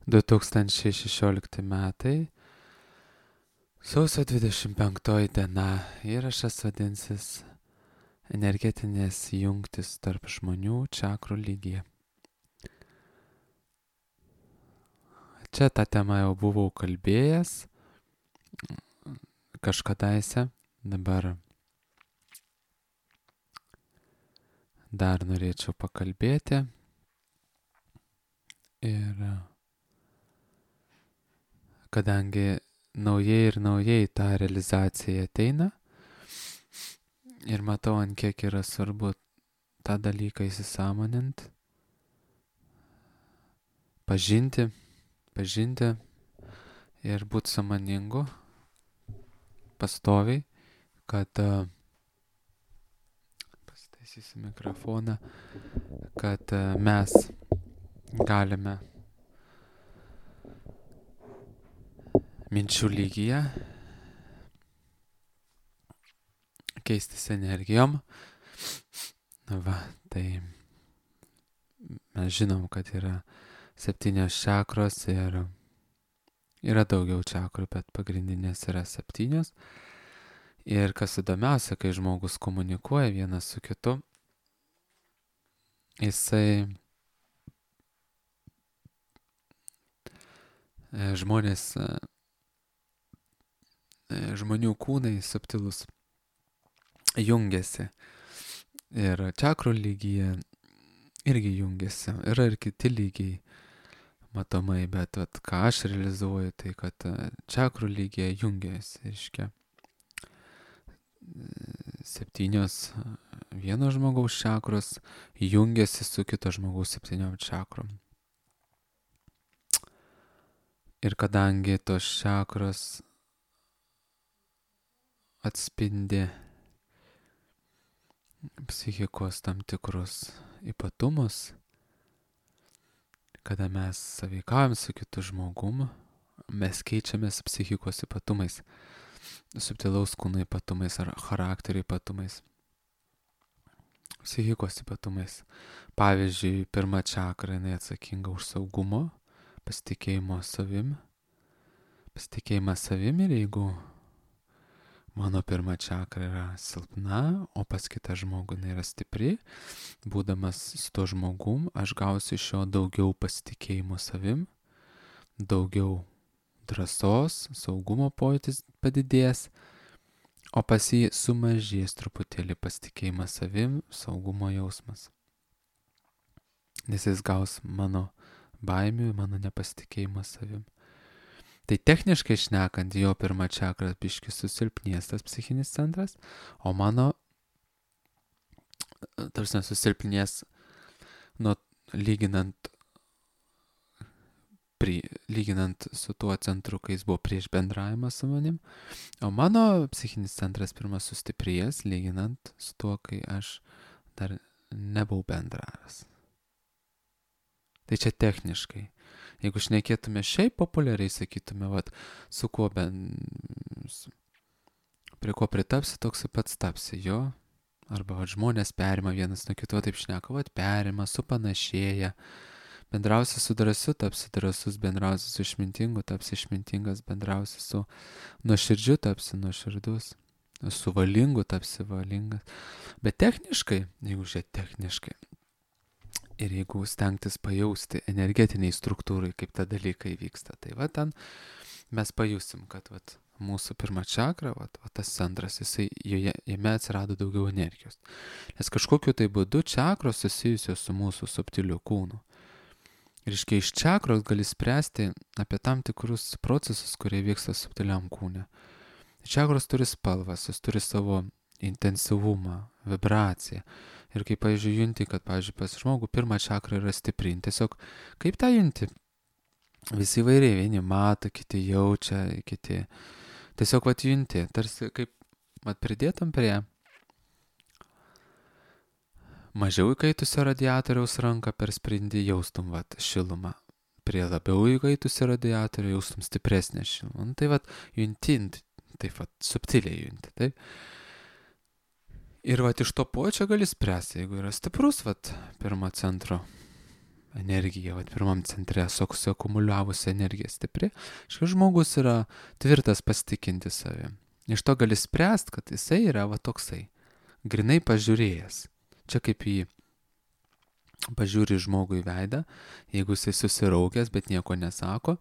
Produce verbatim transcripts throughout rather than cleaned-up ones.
du tūkstančiai šešiolikti metai, sausio dvidešimt penktoji diena. Įrašas vadinsis energetinės jungtis tarp žmonių čakrų lygyje. Čia tą temą jau buvau kalbėjęs kažkadaise, dabar dar norėčiau pakalbėti. Ir kadangi naujai ir naujai ta realizacija ateina ir matau, ant kiek yra svarbu tą dalyką įsisąmonint, pažinti, pažinti ir būti sąmoningu pastoviai, kad pasitaisysiu mikrofoną, kad mes galime minčių lygyje keistis energijom. Va, tai mes žinom, kad yra septynios čakros ir yra daugiau čakrų, bet pagrindinės yra septynios. Ir kas įdomiausia, kai žmogus komunikuoja vienas su kitu, jisai žmonės žmonių kūnai subtilus jungiasi ir čakrų lygyje irgi jungiasi. Yra ir kiti lygiai matomai, bet vat, ką aš realizuoju, tai kad čakrų lygyje jungiasi, reiškia, septynios vieno žmogaus čakros jungiasi su kito žmogaus septyniom čakrom. Ir kadangi tos čakros atspindi psichikos tam tikrus ypatumus, kada mes sąveikaujam su kitu žmogum, mes keičiamės psichikos ypatumais, subtilaus kūno ypatumais ar charakterio ypatumais, psichikos ypatumais. Pavyzdžiui, pirma čakra, jinai atsakinga už saugumo, pasitikėjimo savim, pasitikėjimas savim, ir jeigu mano pirma čakra yra silpna, o pas kitą žmogų jinai yra stipri, būdamas su to žmogum, aš gausiu iš jo daugiau pasitikėjimo savim, daugiau drąsos, saugumo pojūtis padidės, o pas jį sumažės truputėlį pasitikėjimas savim, saugumo jausmas. Nes jis gaus mano baimių, mano nepasitikėjimą savim. Tai techniškai šnekant, jo pirma čakra biški susilpnės tas psichinis centras, o mano, tarsi susilpnės, nuo lyginant, pri, lyginant su tuo centru, kai jis buvo prieš bendravimą su manim, o mano psichinis centras pirmas sustiprės, lyginant su tuo, kai aš dar nebuvau bendravęs. Tai čia techniškai. Jeigu šnekėtume šiaip populiariai, sakytume, vat, su kuo ben, prie ko pritapsi, toks pats tapsi, jo. Arba vat, žmonės perima vienas nuo kito, taip šneka, vat, perima, supanašėja. Bendrausi su drąsiu, tapsi drąsus, bendrausi su išmintingu, tapsi išmintingas, bendrausi su nuoširdžiu, tapsi nuoširdus, su valingu, tapsi valingas. Bet techniškai, jeigu žiūrėt techniškai, ir jeigu stengtis pajausti energetiniai struktūrai, kaip ta dalykai vyksta, tai va ten mes pajusim, kad vat, mūsų pirma čakra, vat, vat tas centras, jisai, joje, jame atsirado daugiau energijos. Nes kažkokiu tai būdu čakros susijusios su mūsų subtiliu kūnu. Ir iškai iš čakros gali spręsti apie tam tikrus procesus, kurie vyksta subtiliam kūne. Čakros turi spalvas, jis turi savo intensyvumą, vibraciją. Ir kaip, pavyzdžiui, junti, kad, pavyzdžiui, pas žmogų pirmą čakrą yra stipri. Tiesiog, kaip tą junti? Visi įvairiai, vieni mato, kiti jaučia, kiti. Tiesiog, vat, junti, tarsi kaip, vat, pridėtum prie mažiau įkaitusio radiatoriaus ranką per sprindį, jaustum, vat, šilumą. Prie labiau įkaitusio radiatorių jaustum stipresnę šilumą. Tai, vat, junti, taip, vat, subtiliai junti, taip. Ir vat iš to pojūčio gali spręsti, jeigu yra stiprus vat pirmo centro energija, vat pirmam centre suakumuliavusi energija stipri, šis žmogus yra tvirtas pasitikinti savim. Iš to gali spręsti, kad jisai yra va toksai, grinai pažiūrėjęs. Čia kaip į pažiūri žmogų į veidą, jeigu jisai susiraukęs, bet nieko nesako,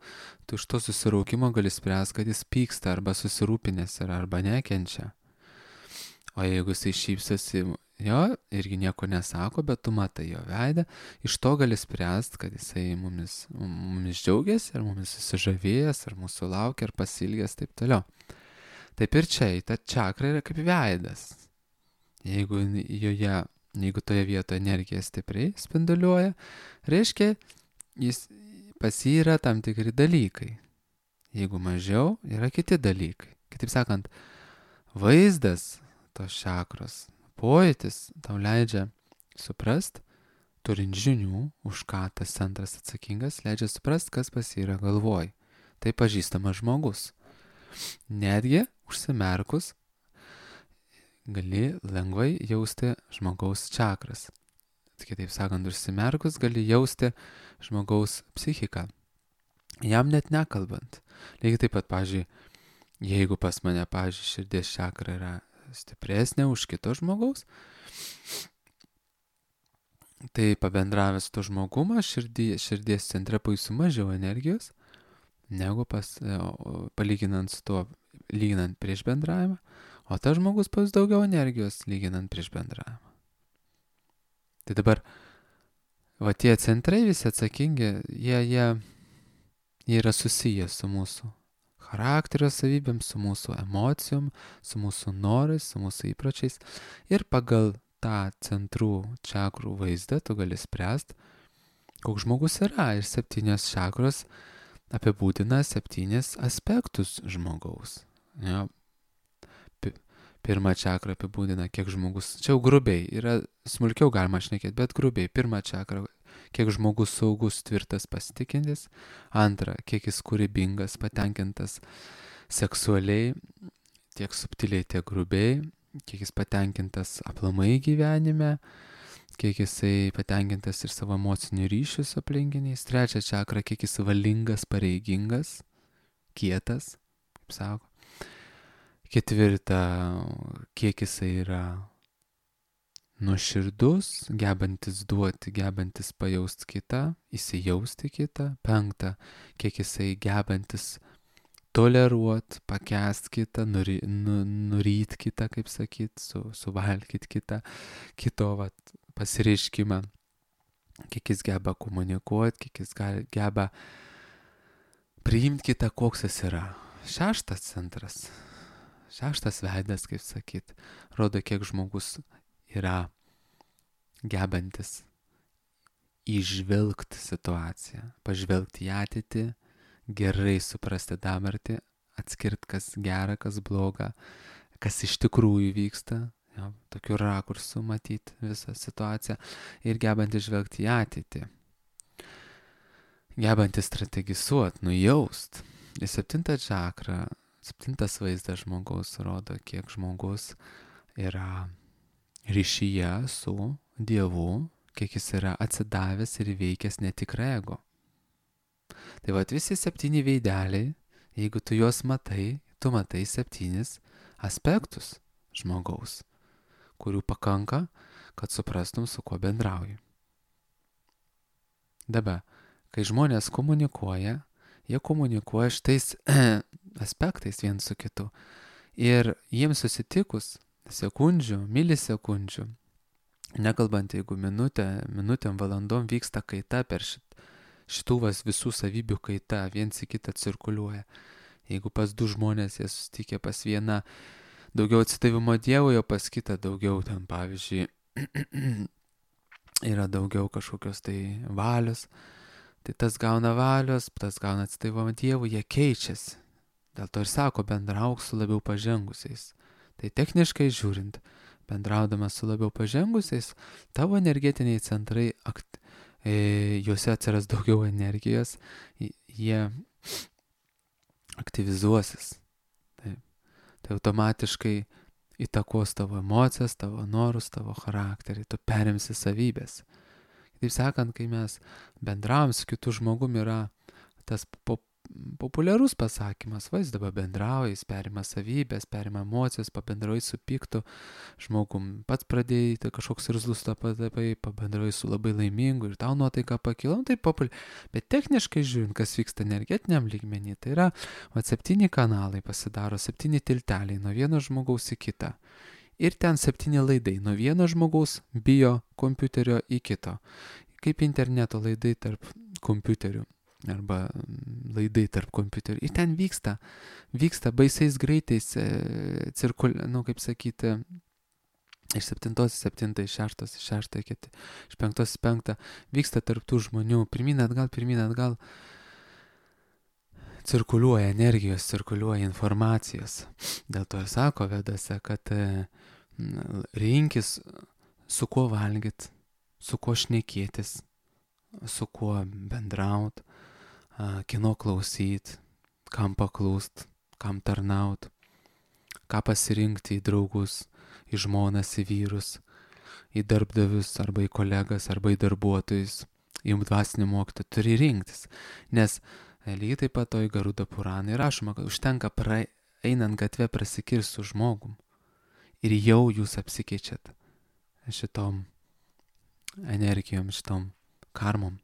tu iš to susiraukimo gali spręsti, kad jis pyksta arba susirūpinęs yra arba nekenčia. O jeigu jisai šypsosi, jo, irgi nieko nesako, bet tu matai jo veidą, iš to gali spręsti, kad jisai mumis, mumis džiaugiasi, ar mumis susižavėjęs, ar mūsų laukia, ar pasilgęs, taip toliau. Taip ir čia, ta čakra yra kaip veidas. Jeigu joje, jeigu toje vietoje energija stipriai spinduliuoja, reiškia, jis, pas jį yra tam tikri dalykai. Jeigu mažiau, yra kiti dalykai. Kitaip sakant, vaizdas tos čakros, pojūtis tau leidžia suprast, turint žinių, už ką tas centras atsakingas, leidžia suprast, kas pas jį yra galvoj. Tai pažįstamas žmogus. Netgi užsimerkus gali lengvai jausti žmogaus čakras. Kitaip sakant, užsimerkus gali jausti žmogaus psichiką. Jam net nekalbant. Lygiai taip pat, pavyzdžiui, jeigu pas mane, pavyzdžiui, širdies čakra yra stipresnė už kito žmogaus, tai pabendravęs to žmogumą, širdį, širdies centre pajusiu mažiau energijos, negu pas, palyginant su tuo, lyginant prieš bendravimą, o tas žmogus pajus daugiau energijos, lyginant prieš bendravimą. Tai dabar, va tie centrai visi atsakingi, jie, jie, jie yra susiję su mūsų charakterio savybėm, su mūsų emocijom, su mūsų norais, su mūsų įpročiais. Ir pagal tą centrų čakrų vaizdą tu gali spręsti, koks žmogus yra. Ir septynios čakros apibūdina septynis aspektus žmogaus. Ja. Pirmą čakrą apibūdina, kiek žmogus, čia jau grubiai, yra smulkiau galima šnekėti, bet grubiai. Pirmą čakrą, kiek žmogus saugus, tvirtas, pasitikintis. Antra, kiek jis kūrybingas, patenkintas seksualiai, tiek subtiliai, tiek grubiai. Kiek jis patenkintas aplamai gyvenime, kiek jisai patenkintas ir savo emocinių ryšių su aplinkiniais. Trečia čakra, kiek jis valingas, pareigingas, kietas, kaip sako. Ketvirta, kiek jisai yra nuoširdus, gebantis duoti, gebantis pajausti kitą, įsijausti kitą. Penkta, kiek jisai gebantis toleruoti, pakęsti kitą, nuri, nu, nuryt kitą, kaip sakyt, su, suvalgyti kitą, kito vat, pasireiškimą. Kiek jis geba komunikuoti, kiek jis geba priimti kitą, koks jis yra. Šeštas centras. Šeštas veidas, kaip sakyt, rodo, kiek žmogus yra gebantis įžvelgti situaciją, pažvelgti į ateitį, gerai suprasti dabartį, atskirti, kas gera, kas bloga, kas iš tikrųjų vyksta, ja, tokiu rakursu matyti visą situaciją ir gebanti žvelgti į ateitį, gebanti strategizuoti, nujaust. Ir septinta čakra, septintas vaizdas žmogaus rodo, kiek žmogus yra ryšyje su Dievu, kiek jis yra atsidavęs ir veikęs netikrą ego. Tai vat visi septyni veideliai, jeigu tu juos matai, tu matai septynis aspektus žmogaus, kurių pakanka, kad suprastum, su kuo bendrauji. Dabar, kai žmonės komunikuoja, jie komunikuoja šitais aspektais viens su kitu. Ir jiems susitikus sekundžių, milisekundžių, nekalbant, jeigu minutę, minutėm, valandom vyksta kaita per šit, šitų vas visų savybių kaita, viens į kitą cirkuliuoja. Jeigu pas du žmonės jie susitikė pas vieną daugiau atsidavimo Dievui, o pas kitą daugiau ten, pavyzdžiui, yra daugiau kažkokios tai valios, tai tas gauna valios, tas gauna atsidavimą Dievui, jie keičiasi. Dėl to ir sako, bendrauk su labiau pažengusiais. Tai techniškai žiūrint, bendraudamas su labiau pažengusiais, tavo energetiniai centrai, akt, e, juose atsiras daugiau energijos, jie aktyvizuosis. Taip. Tai automatiškai įtakos tavo emocijas, tavo norus, tavo charakterį, tu perimsi savybės. Taip sakant, kai mes bendravom su kitu žmogum, yra tas po, populiarus pasakymas, va, jis dabar bendrauja, jis perima savybės, perima emocijas, pabendrauja su piktu žmogum, pats pradėjai, tai kažkoks irzlus tapai, pabendrauja su labai laimingu ir tau nuotaika pakilo, nu, tai populiaru. Bet techniškai žiūrint, kas vyksta energetiniam lygmenį, tai yra, va, septyni kanalai pasidaro, septyni tilteliai nuo vieno žmogaus į kitą. Ir ten septyni laidai nuo vieno žmogaus bio kompiuterio į kito. Kaip interneto laidai tarp kompiuterių arba laidai tarp kompiuterių. Ir ten vyksta, vyksta baisiais greitais e, cirkul, nu kaip sakyti, iš septintos į septintą, iš šeštos į šeštą, iš penktos į penktą, vyksta tarp tų žmonių, pirmyn atgal, pirmyn atgal, cirkuliuoja energijos, cirkuliuoja informacijos. Dėl to ir sako vedose, kad e, rinkis su kuo valgyt, su kuo šnekėtis, su kuo bendraut, kino klausyt, kam paklust, kam tarnaut, ką pasirinkti į draugus, į žmonas, į vyrus, į darbdavius arba į kolegas arba į darbuotojus, į dvasinį mokytoją, turi rinktis. Nes lygiai taip pat toj Garuda Puranai rašoma, kad užtenka pra, einant gatvę prasikirst su žmogum ir jau jūs apsikeičiat šitom energijom, šitom karmom.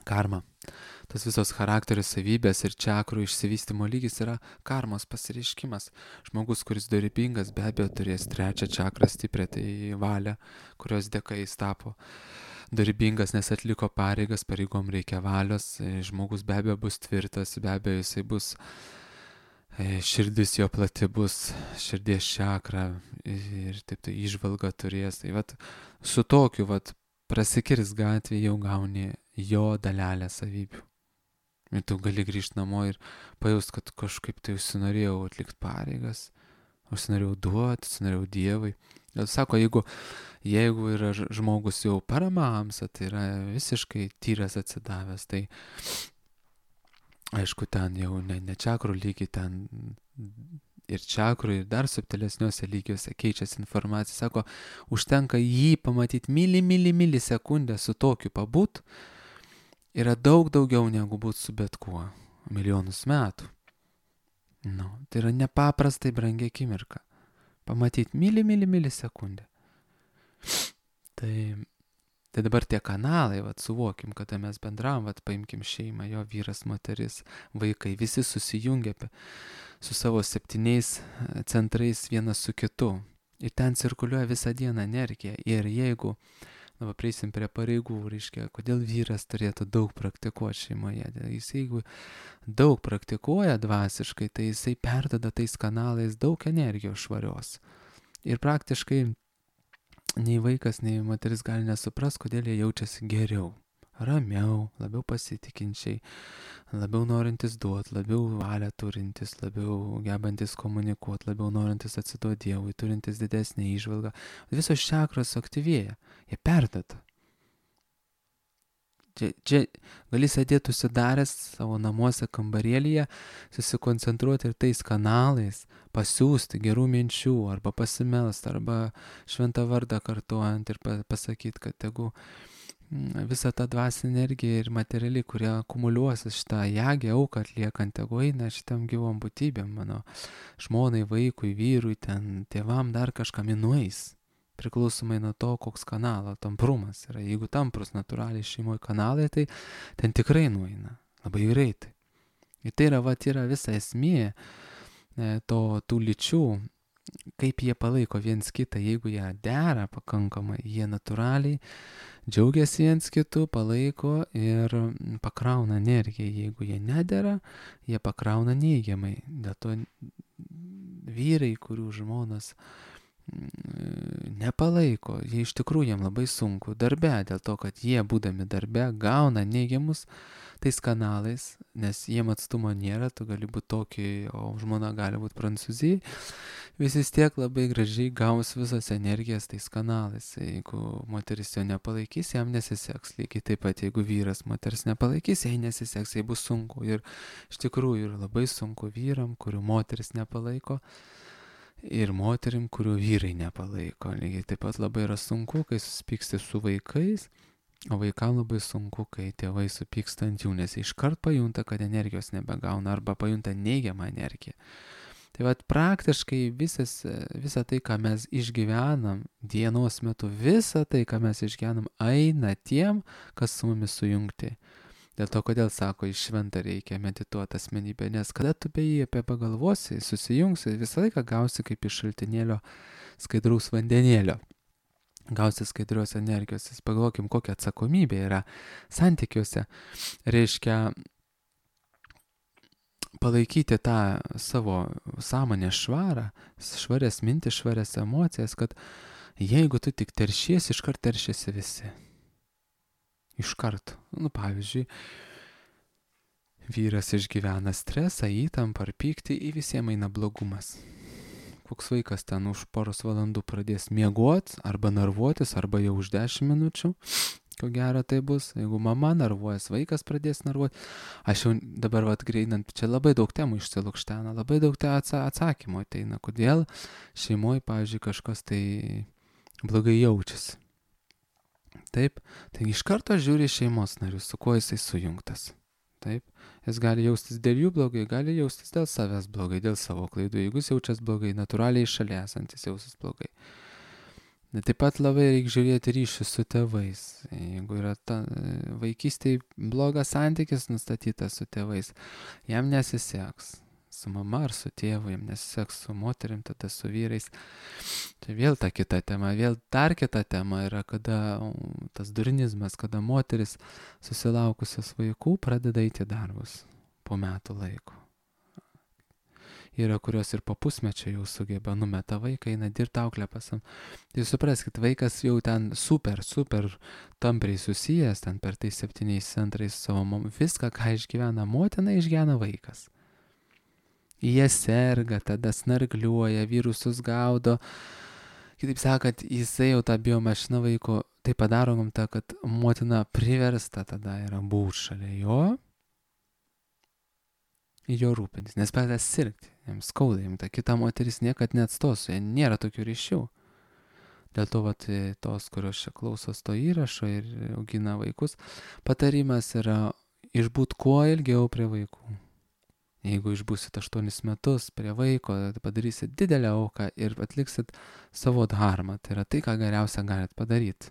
Karma. Tas visos charakterio savybės ir čakrų išsivystymo lygis yra karmos pasireiškimas. Žmogus, kuris dorybingas, be abejo turės trečią čakrą stiprią, tai valią, kurios dėka jis tapo dorybingas, nes atliko pareigas, pareigom reikia valios, žmogus be abejo bus tvirtas, be abejo jisai bus, širdis jo plati bus, širdies čakra ir taip tai įžvalga turės. Tai vat su tokiu vat prasikirs gatvė jau gauni jo dalelę savybių. Ir tu gali grįžti namo ir pajaust, kad kažkaip tai užsinorėjau atlikti pareigas, užsinorėjau duoti, užsinorėjau Dievui. Ir sako, jeigu, jeigu yra žmogus jau paramamsa, tai yra visiškai tyras atsidavęs, tai aišku, ten jau ne, ne čakrų lygiai, ten ir čakrų, ir dar subtilesniuose lygiuose keičiasi informacija. Sako, užtenka jį pamatyti mili, mili, mili sekundę su tokiu pabūt, yra daug daugiau negu būt su bet kuo milijonus metų. Nu, tai yra nepaprastai brangi akimirka. Pamatyti mili, mili, mili sekundę. Tai, tai dabar tie kanalai, vat, suvokim, kada mes bendravom, vat, paimkim šeimą, jo vyras, moteris, vaikai, visi susijungia su savo septyniais centrais vienas su kitu. Ir ten cirkuliuoja visą dieną energija. Ir jeigu dabar prieisim prie pareigų, reiškia, kodėl vyras turėtų daug praktikuoti šeimoje. Jis jeigu daug praktikuoja dvasiškai, tai jisai perdada tais kanalais daug energijos švarios. Ir praktiškai nei vaikas, nei moteris gali nesupras, kodėl jie jaučiasi geriau, ramiau, labiau pasitikinčiai, labiau norintis duoti, labiau valią turintis, labiau gebantis komunikuoti, labiau norintis atsiduoti Dievui, turintis didesnį įžvalgą. Visos čakros aktyvėja, jie perdata. Čia, čia gali sėdėti užsidaręs savo namuose kambarėlyje, susikoncentruoti ir tais kanalais, pasiūsti gerų minčių, arba pasimelst, arba šventą vardą kartuojant ir pasakyti, kad tegu visą tą dvasinę energiją ir materialį, kurie akumuliuosis šitą jagę, auką atliekant, tegu eina šitam gyvom būtybėm, mano žmonai, vaikui, vyrui, ten tėvam dar kažkam nueis. Priklausomai nuo to, koks kanalo tamprumas yra. Jeigu tamprus natūraliai šeimoje kanalai, tai ten tikrai nueina. Labai greitai. Ir tai yra, vat, yra visa esmė to, tų lyčių, kaip jie palaiko viens kitą. Jeigu jie dera pakankamai, jie natūraliai džiaugiasi viens kitu, palaiko ir pakrauna energiją. Jeigu jie nedera, jie pakrauna neigiamai. Dėl to vyrai, kurių žmonos nepalaiko, jie iš tikrųjų jiem labai sunku darbe, dėl to, kad jie būdami darbe gauna neigiamus tais kanalais, nes jiem atstumo nėra, tu gali būti tokį, o žmona gali būti Prancūzijai, vis tiek labai gražiai gaus visas energijas tais kanalais. Jeigu moteris jo nepalaikys, jam nesiseks. Lygiai taip pat, jeigu vyras moters nepalaikys, jai nesiseks, jai bus sunku. Ir iš tikrųjų ir labai sunku vyram, kurių moteris nepalaiko, ir moterim, kurių vyrai nepalaiko. Lygiai taip pat labai yra sunku, kai susipyksti su vaikais, O vaikam labai sunku, kai tėvai supyksta ant jų, nes jie iškart pajunta, kad energijos nebegauna arba pajunta neigiamą energiją. Tai vat praktiškai visas, visa tai, ką mes išgyvenam dienos metu, visa tai, ką mes išgyvenam, eina tiem, kas su mumis sujungti. Dėl to, kodėl sako, iš šventą reikia medituoti asmenybę, nes kada tu be jį apie pagalvosi, susijungsi, visą laiką gausi kaip iš šaltinėlio skaidraus vandenėlio. Gausi skaidrios energijos. Pagalvokim, kokia atsakomybė yra santykiuose. Reiškia, palaikyti tą savo sąmonę švarą, švarias mintis, švarias emocijas, kad jeigu tu tik teršiesi, iškart teršiasi visi. Iškart. Nu, pavyzdžiui, vyras išgyvena stresą, įtampą ar pyktį, į visiems eina blogumas. Koks vaikas ten už poros valandų pradės miegot, arba narvuotis, arba jau už dešimt minučių, ko gero tai bus. Jeigu mama narvuojas, vaikas pradės narvuoti. Aš jau dabar vat greinant, čia labai daug temų išsilukštena, labai daug te atsakymų ateina, kodėl šeimoje, pavyzdžiui, kažkas tai blogai jaučiasi. Taip, tai iš karto žiūri šeimos narius, su kuo jisai sujungtas. Taip, jis gali jaustis dėl jų blogai, gali jaustis dėl savęs blogai, dėl savo klaidų. Jeigu jis jaučias blogai, natūraliai šalia esantis jausis blogai. Taip pat labai reikia žiūrėti ryšius su tėvais. Jeigu yra ta, vaikystėje blogas santykis nustatytas su tėvais, jam nesiseks. Su mama ar su tėvu, jam nesiseks su moterim, tada su vyrais. Tai vėl ta kita tema, vėl dar kita tema yra, kada tas durinizmas, kada moteris susilaukusios vaikų pradeda eiti darbus po metų laiko. Yra, kurios ir po pusmečio jau sugeba, numeta vaiką, eina dirbti auklę pasam. Tai supraskit, vaikas jau ten super, super tampriai susijęs, ten per tais septyniais centrais savo mom, viską, ką išgyvena motina, išgyvena vaikas. Jie serga, tada snargliuoja, virusus gaudo. Kitaip sakant, jisai jau tą biomašiną vaiko, tai padaro gamta, kad motina priversta tada yra būti šalia jo, jo rūpintis, nes pradeda sirgti, jiems skauda, jiems ta kita moteris niekad neatstos, jie nėra tokių ryšių. Dėl to, vat, tos, kurios čia klausos to įrašo ir augina vaikus, patarimas yra išbūt kuo ilgiau prie vaikų. Jeigu išbūsit aštuonis metus prie vaiko, padarysit didelę auką ir atliksit savo dharmą. Tai yra tai, ką geriausia galit padaryti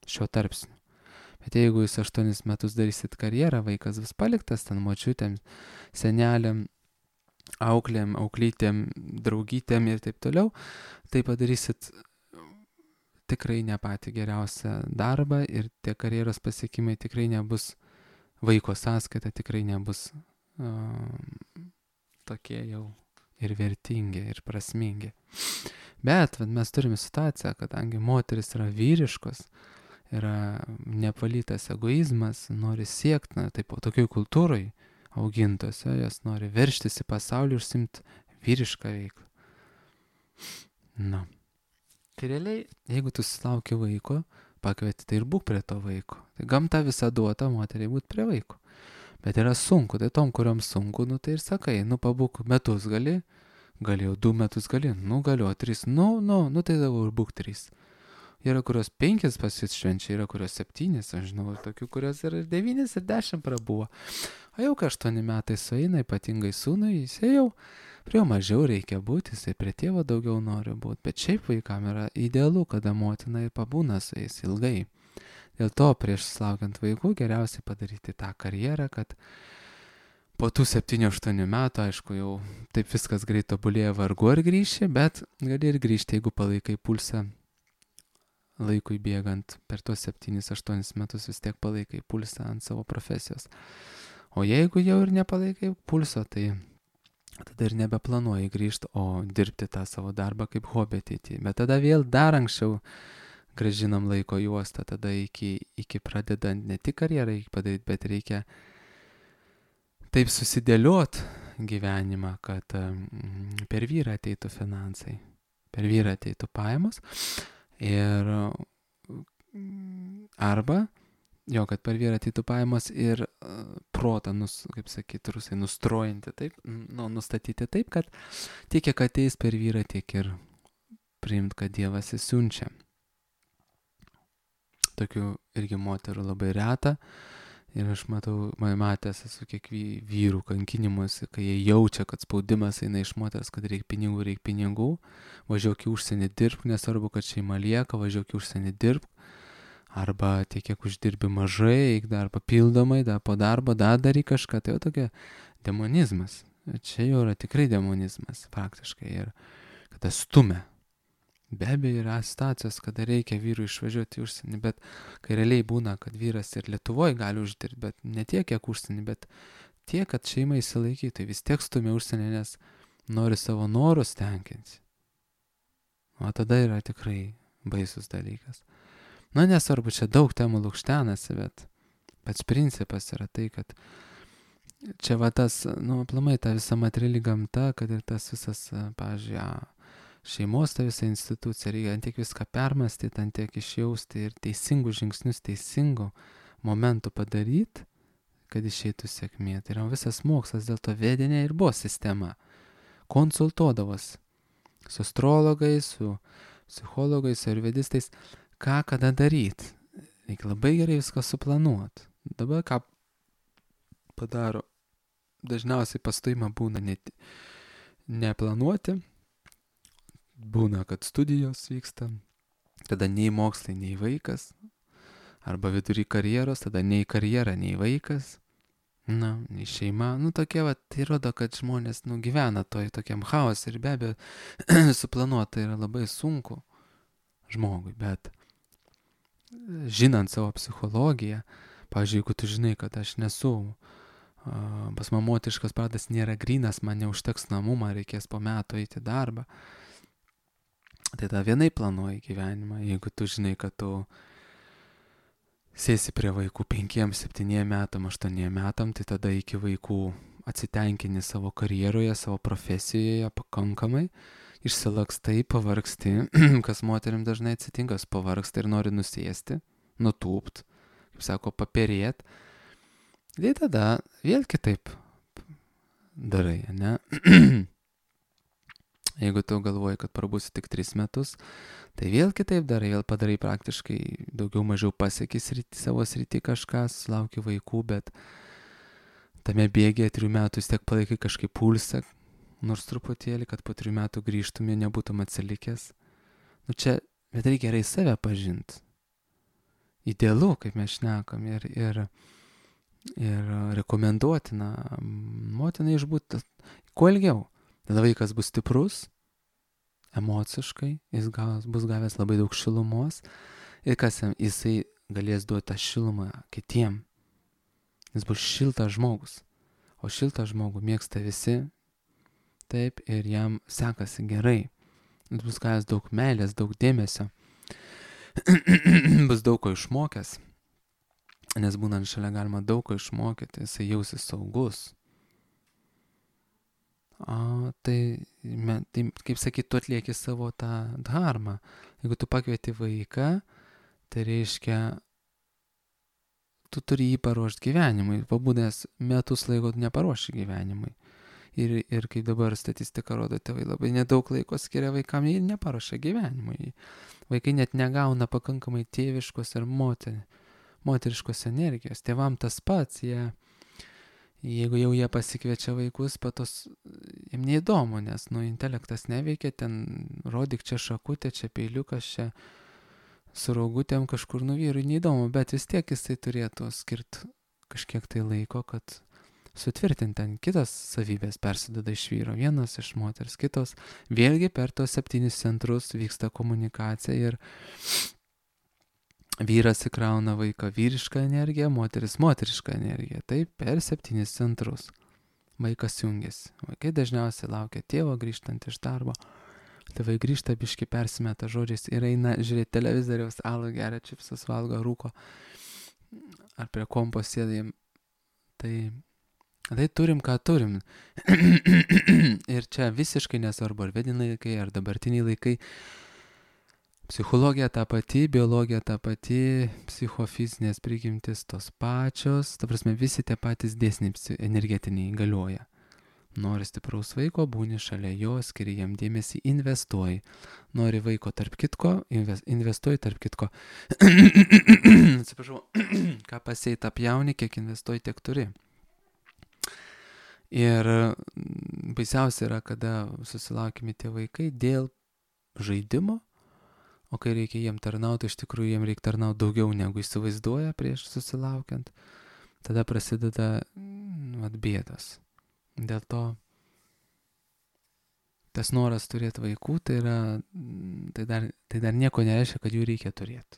šiuo tarpsniu. Bet jeigu jūs aštuonis metus darysit karjerą, vaikas bus paliktas ten močiutėm, senelėm, auklėm, auklytėm, draugytėm ir taip toliau, tai padarysit tikrai ne patį geriausią darbą ir tie karjeros pasiekimai tikrai nebus vaiko sąskaita, tikrai nebus Uh, tokie jau ir vertingi, ir prasmingi. Bet vat, mes turime situaciją, kadangi moteris yra vyriškos, yra neapvalytas egoizmas, nori siekti, na, taip, tokioj kultūroj augintose, jos nori verštis į pasaulį ir užsimti vyrišką veiklą. Na. Tai realiai, jeigu tu susilauki vaiko, pakvieti, tai ir būk prie to vaiko. Tai gamta visą duota moteriai būti prie vaiko. Bet yra sunku, tai tom, kuriuom sunku, nu tai ir sakai, nu pabūk metus gali, gali jau du metus gali, nu galiu, tris, nu, nu, nu tai dabar būk trys. Yra kurios penkis pasišvenčia, yra kurios septynis, aš žinau, tokių, kurios ir devynis, ir dešimt prabuvo. O jau kai aštuoni metai sueina, ypatingai sūnui, jis jau prie jo mažiau reikia būti, jisai prie tėvo daugiau nori būti, bet šiaip vaikam yra idealu, kada motina ir pabūna su jais ilgai. Dėl to prieš sulaukiant vaikų geriausiai padaryti tą karjerą, kad po tų septynių aštuonių metų, aišku, jau taip viskas greit tobulėja, vargu ar grįši, bet gali ir grįžti, jeigu palaikai pulsą laikui bėgant. Per tuos septynis aštuonis metus vis tiek palaikai pulsą ant savo profesijos. O jeigu jau ir nepalaikai pulso, tai tada ir nebeplanuoji grįžti, o dirbti tą savo darbą kaip hobį ateityje. Bet tada vėl dar anksčiau gražinam laiko juostą, tada iki, iki pradedant ne tik karjerą padaryti, bet reikia taip susidėliot gyvenimą, kad um, per vyrą ateitų finansai, per vyrą ateitų pajamos ir arba, jo, kad per vyrą ateitų pajamos ir uh, protą, nus, kaip sakyti, rusai, nustrojinti taip, nu, nustatyti taip, kad tiek, kiek ateis per vyrą, tiek ir priimt, kad Dievas įsiunčia. tokių irgi moterų labai reta. Ir aš matau, man matęs esu kiek vyrų kankinimuose, kai jie jaučia, kad spaudimas eina iš moters, kad reikia pinigų, reikia pinigų, važiuok į užsienį dirbk, nesvarbu, kad šeima lieka, važiuok į užsienį dirbk, arba tiek, kiek uždirbi mažai, eik dar papildomai, dar po darbo, dar daryk kažką, tai jau tokia demonizmas. Čia jau yra tikrai demonizmas, faktiškai, ir kada stumia. Be abejo yra situacijos, kada reikia vyrui išvažiuoti į užsienį, bet kai realiai būna, kad vyras ir Lietuvoje gali uždirbti, bet ne tiek, kiek užsienį, bet tiek, kad šeima įsilaikytų, tai vis tiek stumia užsienį, nes nori savo norus tenkinti. O tada yra tikrai baisus dalykas. Na, nesvarbu, čia daug temų lukštenasi, bet pats principas yra tai, kad čia va tas, nu, aplamai ta visa materiali gamta, kad ir tas visas, pavyzdžiui, šeimos ta visa institucija, reikia ant tiek viską permastyti, ant tiek išjausti ir teisingus žingsnius teisingų momentų padaryti, kad išeitų sėkmė. Tai yra visas mokslas, dėl to vedinė ir buvo sistema. Konsultuodavos su astrologais, su psichologais, su ayurvedistais, ką kada daryti. Reikia labai gerai viską suplanuoti. Dabar ką padaro, dažniausiai pastojimą būna net neplanuoti, būna, kad studijos vyksta, tada nei mokslai, nei vaikas, arba vidury karjeros, tada nei karjera, nei vaikas, na, nei šeima, nu tokie, va, tai rodo, kad žmonės, nu, gyvena toj tokiam chaos ir be abejo suplanuoti yra labai sunku žmogui, bet žinant savo psichologiją, pavyzdžiui, jeigu tu žinai, kad aš nesu, uh, pas man moteriškas pradas nėra grynas, man neužteks namų, man reikės po metų eiti į darbą, tai tada vienai planuoji gyvenimą. Jeigu tu žinai, kad tu sėsi prie vaikų penkiem, septyniem metam, aštuoniem metam, tai tada iki vaikų atsitenkini savo karjeroje, savo profesijoje pakankamai, išsilakstai, pavargsti, kas moterim dažnai atsitinka, pavargsta ir nori nusėsti, nutūpt, kaip sako, paperėt. Tai tada vėl kitaip darai, ne? Jeigu tu galvoji, kad prabūsi tik tris metus, tai vėl kitaip darai, vėl padarai praktiškai daugiau mažiau pasieki srity, savo srity kažką, sulauki vaikų, bet tame bėgėje trijų metų vis tiek palaikai kažkaip pulsą, nors truputėlį, kad po trijų metų grįžtumė, nebūtum atsilikęs. Nu čia, bet reikia gerai save pažinti. Idealu, kaip mes šnekam, ir, ir, ir rekomenduotina motinai išbūti kuo ilgiau. Tada vaikas bus stiprus, emociškai, jis gavęs, bus gavęs labai daug šilumos ir kas jisai galės duoti tą šilumą kitiem. Jis bus šiltas žmogus, o šiltą žmogų mėgsta visi, taip, ir jam sekasi gerai. Jis bus gavęs daug meilės, daug dėmesio, bus daug ko išmokęs, nes būnant šalia galima daug ko išmokyti, jisai jausis saugus. O, tai, tai, kaip sakyt, tu atlieki savo tą dharmą. Jeigu tu pakvieti vaiką, tai reiškia, tu turi jį paruošti gyvenimui. Pabūdęs metus laiko neparuoši gyvenimui. Ir, ir kaip dabar statistika rodo, tėvai labai nedaug laiko skiria vaikam ir neparuošia gyvenimui. Vaikai net negauna pakankamai tėviškos ir moter, moteriškos energijos. Tėvam tas pats, jie... Jeigu jau jie pasikviečia vaikus, patos jiem neįdomu, nes, nu, intelektas neveikia, ten rodyk čia šakutė, čia peiliukas, čia su raugutėm kažkur, nu, vyrui neįdomu, bet vis tiek jisai turėtų skirti kažkiek tai laiko, kad sutvirtinti ten kitas savybės persideda iš vyro, vienas iš moters, kitos. Vėlgi per tos septynis centrus vyksta komunikacija ir vyras įkrauna vaiką vyrišką energiją, moteris moterišką energiją. Taip, per septynis centrus vaikas jungiasi. Vaikai dažniausiai laukia tėvo grįžtant iš darbo. Tėvai grįžta, biški persimeta žodžiais ir eina žiūrėti televizoriaus, alų geria, čipsus valgo, rūko. Ar prie kompo sėdai. Tai, tai turim, ką turim. Ir čia visiškai nesvarbu, ar vediniai laikai, ar dabartiniai laikai. Psichologija ta pati, biologija ta pati, psichofizinės prigimtis tos pačios, ta prasme visi tie patys dėsniai energetiniai galioja. Nori stipraus vaiko, būni šalia jo, skiri jam dėmesį, investuoji. Nori vaiko tarp kitko, investuoji tarp kitko. Atsiprašau, ką pasėjai tą pjauni, kiek investuoji, tiek turi. Ir baisiausia yra, kada susilaukime tie vaikai dėl žaidimo, o kai reikia jiem tarnauti, iš tikrųjų jiem reikia tarnauti daugiau negu įsivaizduoja prieš susilaukiant. Tada prasideda vat, bėdos. Dėl to tas noras turėti vaikų, tai, yra, tai, dar, tai dar nieko nereiškia, kad jų reikia turėti.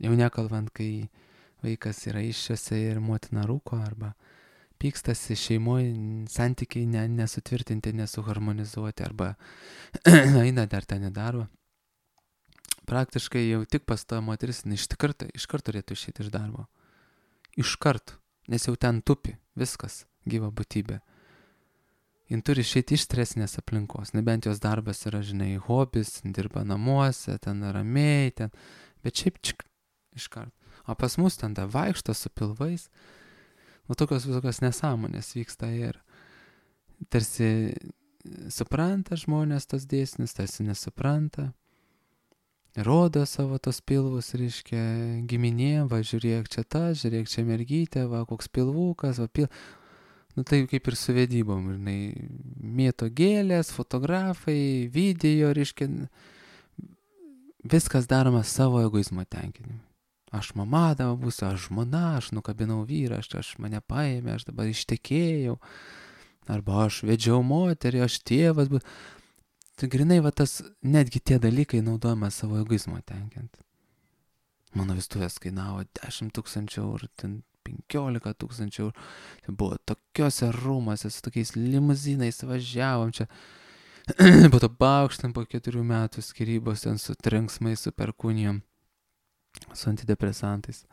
Jau nekalbant, kai vaikas yra iššiose ir motina rūko, arba pykstasi šeimoje, santykiai ne, nesutvirtinti, nesuharmonizuoti, arba eina dar ten į darbą. Praktiškai jau tik pastoja moteris, iš karto, iš karto turėtų išėti iš darbo. Iš karto, nes jau ten tupi, viskas, gyva būtybė. Jin turi išėti iš stresinės aplinkos, nebent jos darbas yra, žinai, hobis, dirba namuose, ten ramiai, ten, bet šiaip čik, iš karto. O pas mus ten da vaikšto su pilvais, nu tokios visokios nesąmonės vyksta ir tarsi supranta žmonės tos dėsnius, tarsi nesupranta, rodo savo tos pilvus, reiškia, giminėm, va žiūrėk čia ta, žiūrėk čia mergytė, va koks pilvukas, va pil... Nu tai kaip ir su vedybom, žinai, mėto gėlės, fotografai, video, reiškia, viskas daroma savo egoizmo tenkinimui. Aš mama dabar būsiu, aš žmona, aš nukabinau vyrą, aš, aš mane paėmė, aš dabar ištekėjau, arba aš vedžiau moterį, aš tėvas būsiu. Tai grinai va tas, netgi tie dalykai naudojama savo egoizmo tenkinti. Mano vestuvės kainavo dešimt tūkstančių eurų, ten penkiolika tūkstančių eurų. Tai buvo tokiuose rūmuose, su tokiais limuzinais važiavom čia. Po to baukštam po keturių metų skyrybos ten su trenksmais, su perkūnijom, su antidepresantais.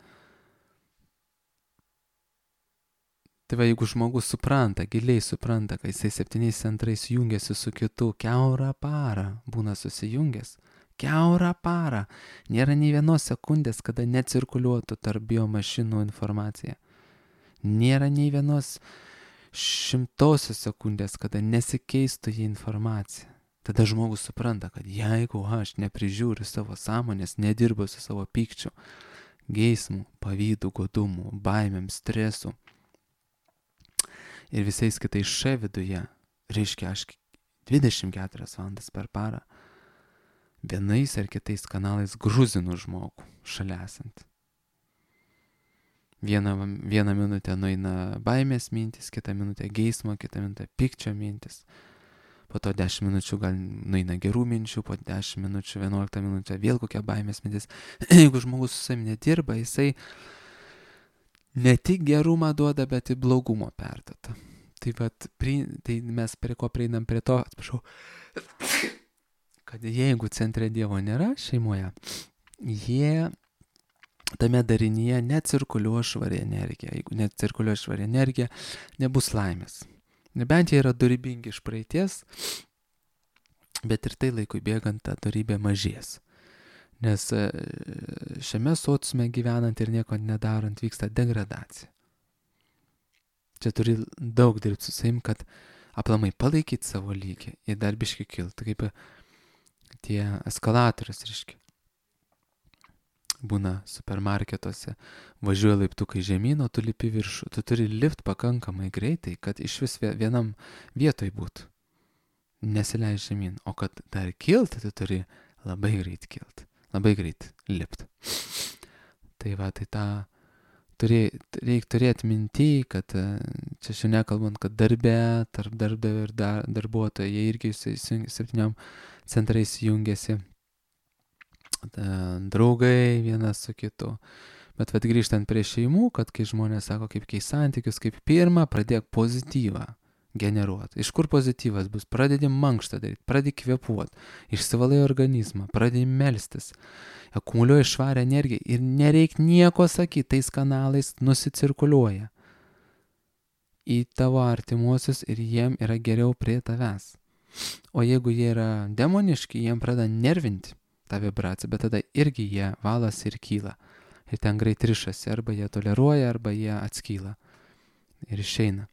Tai va, jeigu žmogus supranta, giliai supranta, kad jisai septyniais centrais jungiasi su kitu, kiaurą parą būna susijungęs, kiaurą parą, nėra nei vienos sekundės, kada necirkuliuotų tarp biomašinų informacija. Nėra nei vienos šimtosios sekundės, kada nesikeistų į informaciją. Tada žmogus supranta, kad jeigu aš neprižiūriu savo sąmonės, nedirbu su savo pykčiu, geismu, pavydu, godumu, baimėm, stresu, ir visais kitais š viduje, reiškia aš dvidešimt keturias valandas per parą vienais ar kitais kanalais gruzinu žmogų šalia esant. Vieną, vieną minutę nueina baimės mintis, kitą minutę geismo, kitą minutę pykčio mintis. Po to dešimt minučių gal nueina gerų minčių, po dešimt minučių, vienuoliktą minutę vėl kokia baimės mintis. Jeigu žmogus su savimi nedirba, jisai ne tik gerumą duoda, bet ir blogumo perduoda. Tai, vat, pri, tai mes prie ko prieinam prie to, atsiprašau, kad jeigu centre Dievo nėra šeimoje, jie tame darinyje necirkuliuoja švari energija. Jeigu necirkuliuoja švari energija, nebus laimės. Nebent jie yra dorybingi iš praeities, bet ir tai laikui bėgant ta dorybė mažės. Nes šiame sociume gyvenant ir nieko nedarant vyksta degradacija. Čia turi daug dirbti su savim, kad aplamai palaikyti savo lygį ir dar biškį kilti. Kaip tie eskalatorius, reiškia. Būna supermarketuose, važiuoja laiptukai žemyn, o tu lipi viršų. Tu turi lipt pakankamai greitai, kad iš vis vienam vietoj būtų. Nesileis žemyn. O kad dar kilti, tu turi labai greit kilti. Labai greit lipt. Tai va, tai tą turi, reikia turėti minty, kad čia šiandien nekalbant, kad darbe, tarp darbdavio ir dar, darbuotojo, jie irgi septyniom centrais jungiasi, draugai vienas su kitu. Bet vat grįžtant prie šeimų, kad kai žmonės sako, kaip keis santykius, kaip pirmą, pradėk pozityvą generuoti. Iš kur pozityvas bus? Pradedi mankštą daryti, pradedi kvėpuoti, išsivalai organizmą, pradedi melstis, akumuliuoji švarę energiją ir nereik nieko sakyti, tais kanalais nusicirkuliuoja į tavo artimuosius ir jiem yra geriau prie tavęs. O jeigu jie yra demoniški, jiem pradeda nervinti tą vibraciją, bet tada irgi jie valas ir kyla. Ir ten greit rišasi, arba jie toleruoja, arba jie atskyla. ir išeina.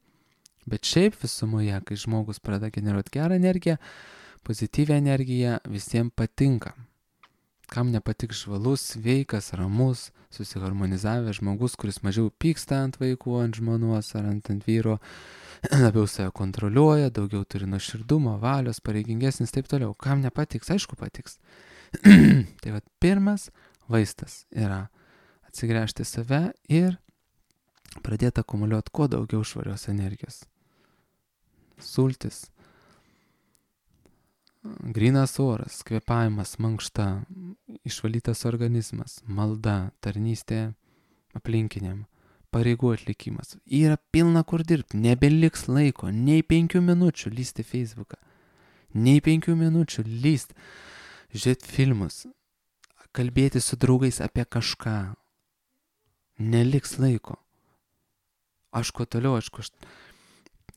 Bet šiaip visumoje, kai žmogus pradeda generuoti gerą energiją, pozityvią energiją, visiems patinka. Kam nepatiks žvalus, sveikas, ramus, susiharmonizavęs žmogus, kuris mažiau pyksta ant vaikų, ant žmonos ar ant, ant vyro, labiau save kontroliuoja, daugiau turi nuoširdumo, valios, pareigingesnis, taip toliau. Kam nepatiks, aišku patiks. Tai vat pirmas vaistas yra atsigręžti save ir pradėti akumuliuoti kuo daugiau švarios energijos. Sultis, grynas oras, kvėpavimas, mankšta, išvalytas organizmas, malda, tarnystė aplinkiniam, pareigų atlikimas. Yra pilna kur dirbti, nebeliks laiko, nei penkių minučių lysti Facebooką, nei penkių minučių lyst, žiūrėti filmus, kalbėti su draugais apie kažką. Neliks laiko. Aš kuo toliau, aš kuo aš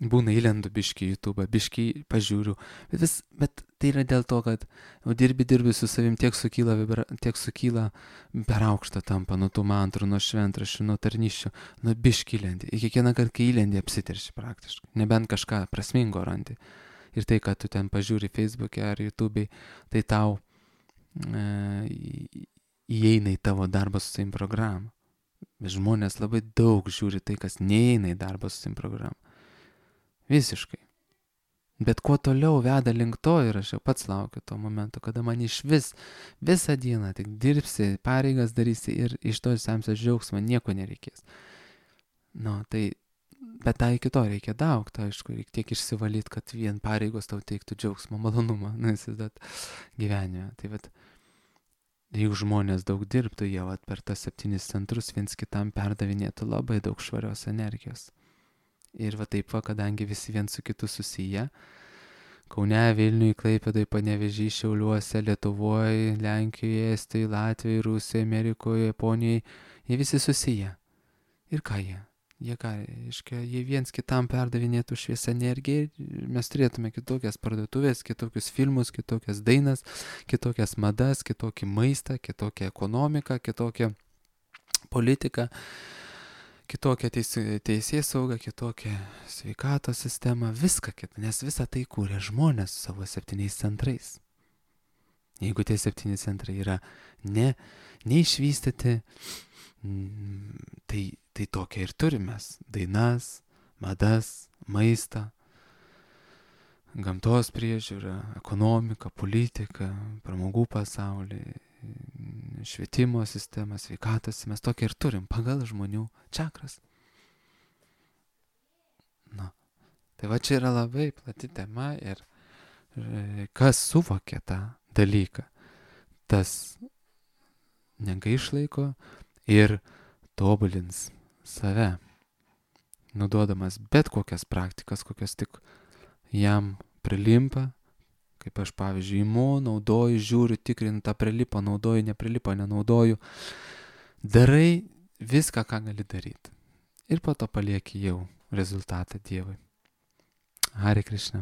būna įlendu biškį YouTube, biškį pažiūriu, bet, vis, bet tai yra dėl to, kad dirbi, dirbi su savim, tiek sukyla, vibra, tiek sukyla per aukštą tampa, nuo tų mantrų, nuo šventraščių, nuo tarnyščių, nuo biškį įlendi. Ir kiekvieną kartą, kai įlendi, apsiterši praktiškai, nebent kažką prasmingo randi. Ir tai, kad tu ten pažiūri Facebook'e ar YouTube'ai, tai tau e, įeina į tavo darbą su savim programą. Bet žmonės labai daug žiūri tai, kas neįeina į darbą su savim programą. Visiškai. Bet kuo toliau veda link to ir aš jau pats laukiu to momento, kada man iš vis visą dieną tik dirbsi, pareigas darysi ir iš to semsies džiaugsmą, nieko nereikės. Nu, tai, bet tai iki to reikia daug, tai aišku, reikia tiek išsivalyti, kad vien pareigos tau teiktų džiaugsmą, malonumą, nesizdat gyvenime. Tai vat, jeigu žmonės daug dirbtų, jie vat, per tas septynis centrus viens kitam perdavinėtų labai daug švarios energijos. Ir va taip va, kadangi visi viens su kitu susiję, Kaune, Vilniui, Klaipėdai, Panevėžy, Šiauliuose, Lietuvoje, Lenkijoje, Estijoje, Latvijoje, Rusijoje, Amerikoje, Japonijoje, jie visi susiję. Ir ką jie? Jie ką, iškia, jie viens kitam perdavinėtų šviesą energiją, mes turėtume kitokias parduotuvės, kitokius filmus, kitokias dainas, kitokias madas, kitokį maistą, kitokią ekonomiką, kitokią politiką, kitokią teisės saugą, kitokią sveikatos sistemą, viską kitą, nes visą tai kūrė žmonės su savo septyniais centrais. Jeigu tie septyni centrai yra ne, neišvystyti, tai, tai tokia ir turime. Dainas, madas, maistą, gamtos priežiūrą, ekonomiką, politiką, pramogų pasaulį, švietimo sistemą, sveikatos, mes tokia ir turim pagal žmonių čakras. Nu, tai va čia yra labai plati tema ir kas suvokia tą dalyką, tas negaišlaiko ir tobulins save, nuduodamas bet kokias praktikas, kokias tik jam prilimpa. Kaip aš, pavyzdžiui, imu, naudoju, žiūriu, tikrinu, tą prilipo, naudoju, neprilipo, nenaudoju. Darai viską, ką gali daryti. Ir po to palieki jau rezultatą Dievui. Hare Krishna.